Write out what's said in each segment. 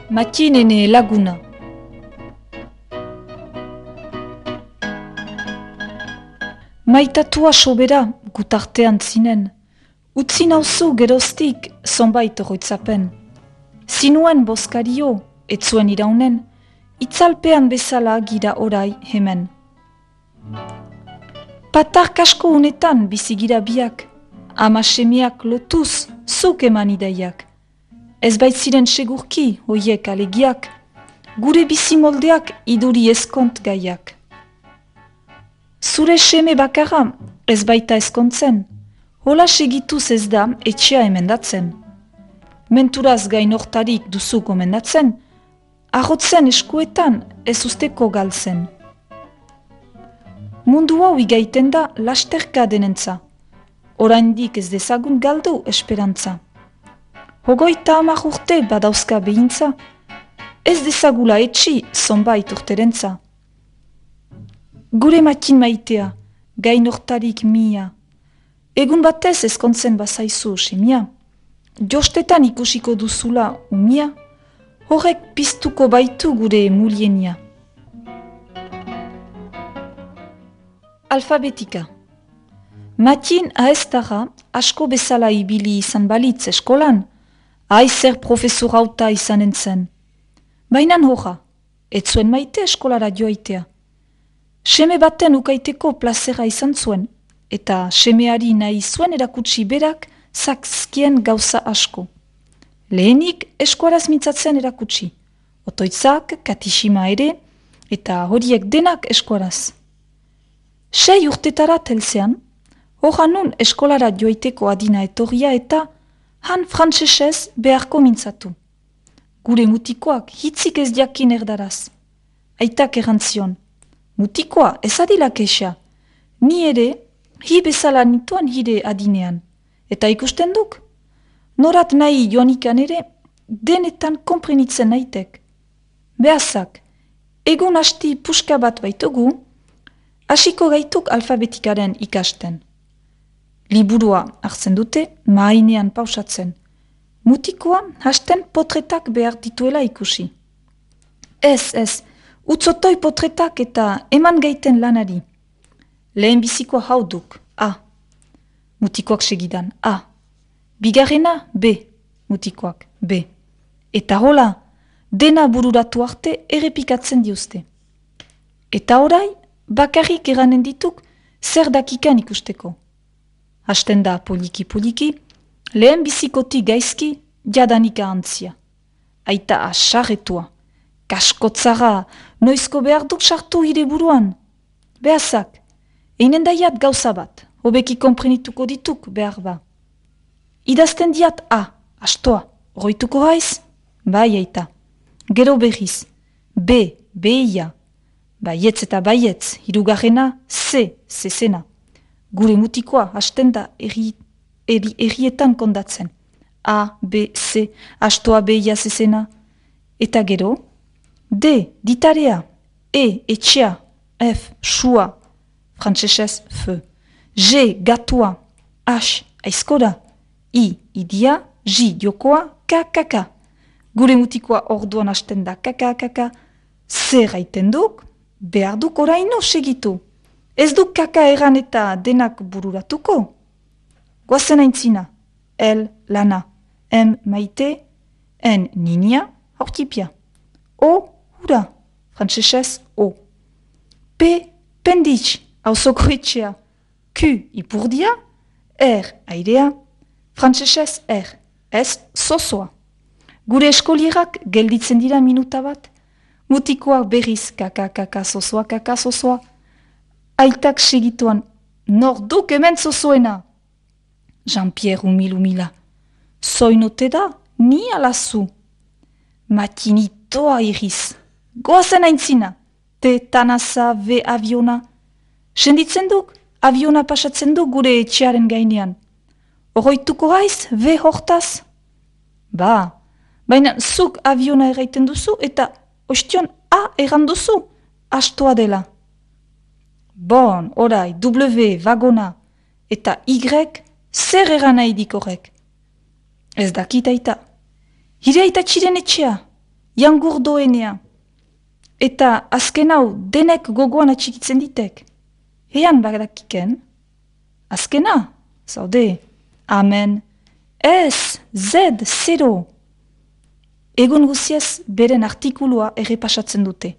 Matinene laguna. Maitatua sobera gutartean zinen. Utzi nauzu geroztik zonbait oroitzapen. Zinuen boskario, etzuen iraunen, itzalpean bezala gira orai hemen. Patar kasko unetan bizigira biak, ama semiak lotuz zuk eman ideiak. Ez baitziren segurki hoiek alegiak, gure bizimoldeak iduri ezkont gaiak. Zure seme bakarra ez baita ezkontzen, hola segituz ez da etxea emendatzen. Menturaz gainortarik duzu gomendatzen, ahotzen eskuetan ez usteko galtzen. Mundu hau igaiten da lasterka denentza, oraindik ez dezagun galdu esperantza. Hogeita 10 urte badauzka behintza, ez dezagula etxi zonbait urterentza. Gure matin maitea, gainortarik mia, egun batez ezkontzen bazaizu semia, jostetan ikusiko duzula umia, horrek piztuko baitu gure mulienia. Alfabetika. Matin ahestara asko bezala ibili izan balitz eskolan, aizer profesorauta izanen zen. Bainan horra, ez zuen maite eskolara joaitea. Seme baten ukaiteko plazera izan zuen, eta semeari nahi zuen erakutsi berak zakzkien gauza asko. Lehenik eskuaraz mintzatzen erakutsi, otoitzak, katishima ere, eta horiek denak eskuaraz. 6 urtetara telzean, horra nun eskolara joaiteko adina etorria eta han frantsesez beharko mintzatu. Gure mutikoak hitzik ez jakin erdaraz. Aitak errantzion, mutikoa ez adila kexa, ni ere hi bezala nituan hire adinean. Eta ikusten duk, norat nahi joanikan ere denetan konprenitzen naitek. Behazak, egun hasti puska bat baitugu, hasiko gaituk alfabetikaren ikasten. Liburua hartzen dute, mahainean pausatzen. Mutikoa hasten potretak behar dituela ikusi. Ez, utzotoi potretak eta eman gaiten lanari. Lehen bizikoa hauduk, A. Mutikoak segidan, A. Bigarrena, B. Mutikoak, B. Eta hola, dena bururatu arte errepikatzen diuzte. Eta orai, bakarrik eranen dituk zer dakikan ikusteko. Hasten da poliki, lehen bizikoti gaizki jadanika antzia. Aita asarretua, kaskotzara, noizko behar duk sartu hire buruan. Behazak, einen daiat gauza bat, hobeki konprenituko dituk behar ba. Idazten diat A, astoa, roituko haiz? Bai aita. Gero berriz, B, beia. Baietz eta baietz, hirugarrena, C, zezena. Gure mutikoa hasten da errietan kondatzen. A, B, C, astoa beia zezena. Eta gero, D, ditarea, E, etxea, F, sua, frantsesez, F, G, gatua, H, aizkora, I, idia, J, jokoa, K, kaka. Gure mutikoa orduan hasten da kaka, zer gaiten duk, behar duk oraino segitu. Ez duk kaka eran eta denak bururatuko. Goazen aintzina, L, lana, M, maite, N, ninia, aurtipia. O, hura, frantsesez, O. P, penditx, hauzoko etxea. Q, ipurdia, R, airea, frantsesez, R, S, zozoa. Gure eskolierak gelditzen dira minuta bat, mutikoak berriz kaka zozoa, aitak segituan, nor duk hemen zozoena. Jean-Pierre umila, zoinote da, ni alazu. Matinitoa iriz, goazen aintzina, te tanasa ve aviona. Senditzen duk, aviona pasatzen duk gure etxearen gainean. Oroituko haiz, ve hortaz? Ba, baina zuk aviona erraiten duzu eta ostion A erran duzu, astoa dela. Bon, orai, W, vagona, eta Y, zer erran nahi dik horrek? Ez dakit aita. Hire aita txiren etxea, jangurdoenea. Eta azken hau denek gogoan atxikitzen ditek. Ean badakiken? Azkena, zaude, amen, ez, zed, zero. Egun guziez beren artikulua errepasatzen dute.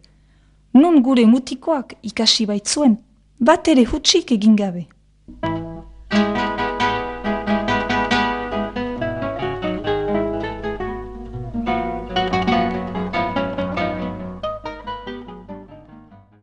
Nun gure mutikoak ikasi baitzuen, bat ere hutsik egin gabe.